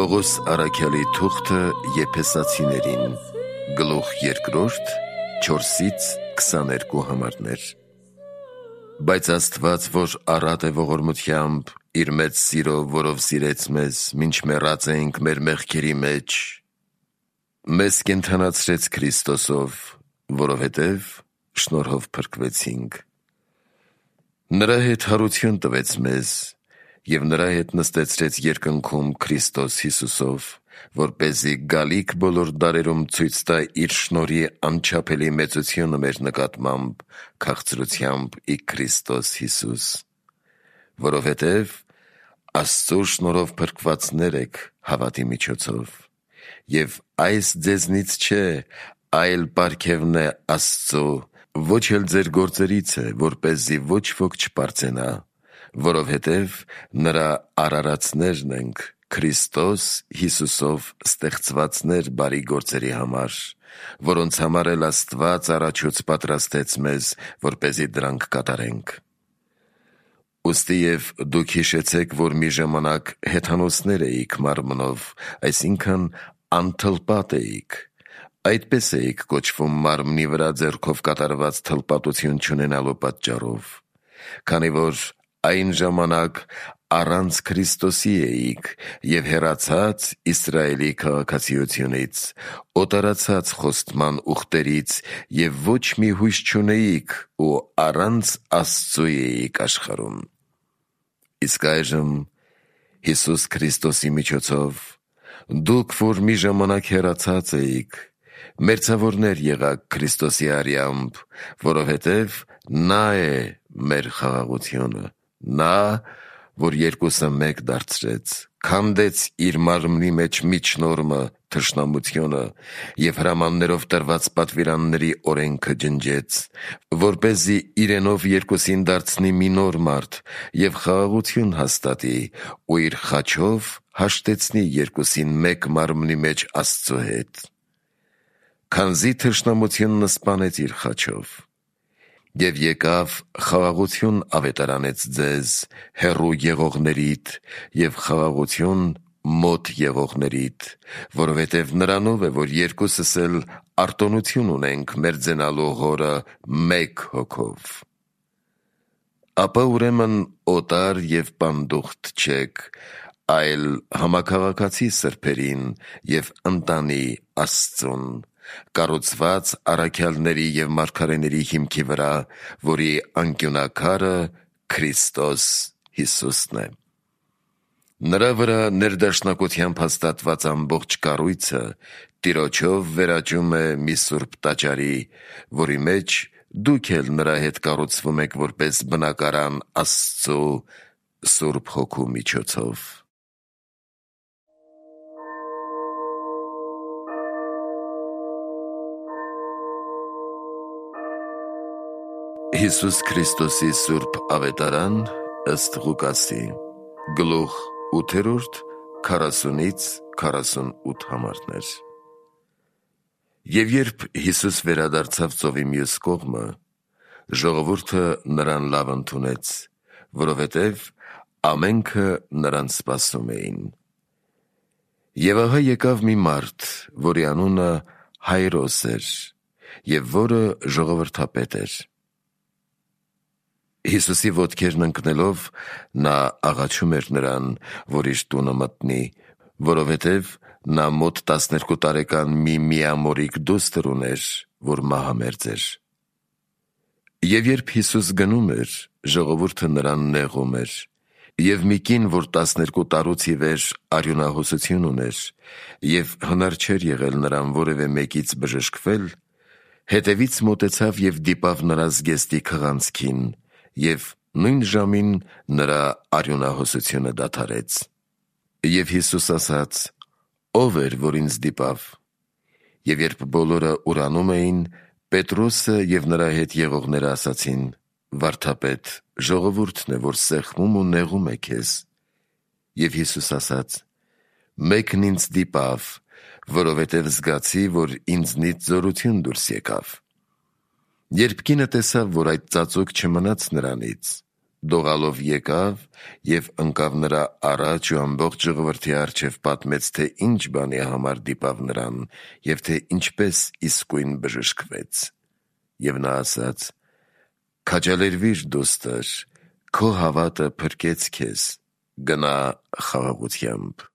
Պողոս առաքյալի թուղթը Եփեսացիներին, գլուխ 2, 4-22 համարներ։ Բայց Աստված, որ առատ է ողորմությամբ, իր մեծ սիրով, որով սիրեց մեզ, մինչ մեռած էինք մեր մեղքերի մեջ, մեզ կենդանացրեց Քրիստոսով, որովհետև շնորհով փրկվեցինք։ Նրա հետ հարություն տվեց մեզ և նրա հետ նստեցրեց երկնքում Քրիստոս Հիսուսով, որպեսզի գալիք բոլոր դարերում ցույց տա իր շնորհի անչափելի մեծությունը մեր նկատմամբ քաղցրությամբ ի Քրիստոս Հիսուս, որովհետև Աստծո շնորհով փրկվածներ եք հավատի միջոցով, և այս ձեզնից չէ, այլ պարգևն է Աստծո, ոչ էլ ձեր գործերից է, որպեսզի ոչ ոք չպարծենա, որովհետև նրա արարածներն ենք, Քրիստոս Հիսուսով ստեղծվածներ բարի գործերի համար, որոնց համար էլ Աստված առաջուց պատրաստեց մեզ, որպեսզի դրանք կատարենք։ Ուստի և դուք հիշեցեք, որ մի ժամանակ հեթանոսներ էիք մարմնով, այսինքն անթլպատ էիք, այդպես էիք կոչվում մարմնի վրա ձեռքով կատարված թլպատություն չունենալու պատճառով, քանի որ այն ժամանակ առանց Քրիստոսի էիք և հեռացած Իսրայելի քաղաքացիությունից, օտարացած խոստման ուխտերից և ոչ մի հույս չունեիք ու առանց Աստծու էիք աշխարհում։ Իսկ այժմ Հիսուս Քրիստոսի միջոցով դուք, որ մի ժամանակ հեռացած էիք, մերձավորներ եղաք Քրիստոսի արյամբ, որովհետև նա է մեր խաղաղությունը, նա, որ երկուսը մեկ դարձրեց, քանդեց իր մարմնի մեջ միջնորմը, թշնամությունը և հրամաններով տրված պատվիրանների օրենքը ջնջեց, որպեսզի իրենով երկուսին դարձնի մի նոր մարդ և խաղաղություն հաստատի ու իր խաչով հաշտեցնի երկուսին մեկ մարմնի մեջ Աստծո հետ, քանզի թշնամությունն սպանեց իր խաչով, և եկավ խաղաղություն ավետարանեց ձեզ հեռու եղողներիդ և խաղաղություն մոտ եղողներիդ, որովհետև նրանով է, որ երկուսս էլ արտոնություն ունենք մերձենալու Հորը մեկ հոգով։ Ապա ուրեմն օտար և պանդուխտ չեք, այլ համաքաղաքացի սրբերին և ընտանի Աստծուն, կառուցված առաքյալների և մարգարեների հիմքի վրա, որի անկյունաքարը Քրիստոս Հիսուսն է։ Նրա վրա ներդաշնակությամբ հաստատված ամբողջ կառույցը Տիրոջով վերաճում է մի սուրբ տաճարի, որի մեջ դուք էլ նրա հետ կառուցվում եք որպես բնակարան Աստծու Սուրբ Հոգու միջոցով։ Հիսուս Քրիստոսի Սուրբ Ավետարան ըստ Ղուկասի, գլուխ 8, 40-48 համարներ։ Եվ երբ Հիսուս վերադարձավ ծովի մյուս կողմը, ժողովուրդը նրան լավ ընդունեց, որովհետև ամենքը նրան սպասում էին։ Եվ ահա եկավ մի մարդ, որի անունը Հայրոս էր, և որը ժողովրդապետ էր։ Հիսուսի ոտքերն ընկնելով, նա աղաչում էր նրան, որ իր տունը մտնի, որովհետև նա մոտ 12 տարեկան մի միամորիկ դուստր ուներ, որ մահամերձ էր։ Եվ երբ Հիսուս գնում էր, ժողովուրդը նրան նեղում էր, և մի կին, որ 12 տարուց ի վեր արյունահոսություն ուներ, և հնար չէր եղել նրան որևէ մեկից բժշկվել, հետևից մոտեցավ և դիպավ նրա զգեստի քղանցքին, և նույն ժամին նրա արյունահոսությունը դադարեց։ Եվ Հիսուս ասաց. «Ո՞վ էր, որ ինձ դիպավ»։ Եվ երբ բոլորը ուրանում էին, Պետրոսը և նրա հետ եղողները ասացին. «Վարդապետ, ժողովուրդն է, որ սեղմում ու նեղում է քեզ»։ Եվ Հիսուս ասաց. «Մեկն ինձ դիպավ, որովհետև զգացի, որ ինձնից զորություն դուրս եկավ»։ Երբ կինը տեսավ, որ այդ ծածուկ չմնաց նրանից, Դողալով եկավ և ընկավ նրա առաջ ու ամբողջ ժողովրդի առջև պատմեց, թե ինչ բանի համար դիպավ նրան և թե ինչպես իսկույն բժշկվեց։ Եվ նա ասաց. «Քաջալերվիր, դուստր, քո հավատը փրկեց քեզ, գնա խաղաղությամբ»։